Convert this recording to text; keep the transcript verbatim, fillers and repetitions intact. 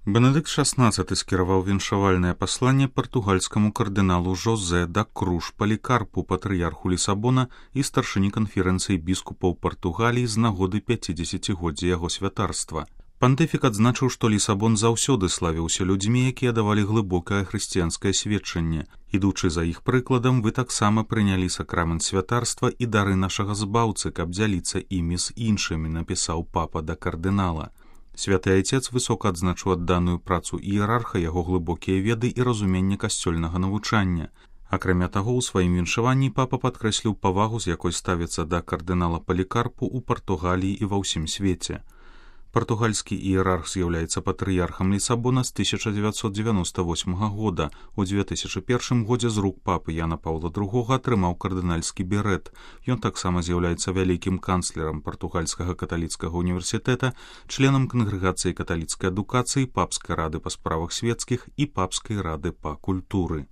Бенедыкт шаснаццаты скіраваў віншавальнае пасланне партугальскаму кардыналу Жозе да Круж Палікарпу, патрыярху Лісабона і старшыні канферэнцыі біскупаў Партугаліі з нагоды пяцідзесяцігоддзя яго святарства. Пантыфік адзначыў, што Лісабон заўсёды славіўся людзьмі, якія давалі глыбокае хрысціянскае сведчанне. Ідучы за іх прыкладам, вы таксама прынялі сакрамент святарства і дары нашага збаўцы, каб дзяліцца імі з іншымі, напісаў папа да кардынала. Святы Айцец высока адзначыў адданую працу іерарха, яго глыбокія веды і разуменне касцёльнага навучання. Акрамя таго, у сваім віншаванні папа падкрэсліў павагу, з якой ставіцца да кардынала Палікарпу ў Партугаліі і ва ўсім свеце. Партугальскі іерарх з'яўляецца патрыярхам Лісабона з тысяча дзевяцьсот дзевяноста восьмага года. У дзве тысячы першым годзе з рук папы Яна Паўла другога атрымаў кардынальскі берэт. Ён таксама з'яўляецца вялікім канцлерам Партугальскага каталіцкага універсітэта, членам кангрэгацыі каталіцкай адукацыі, папскай рады па справах свецкіх і папскай рады па культуры.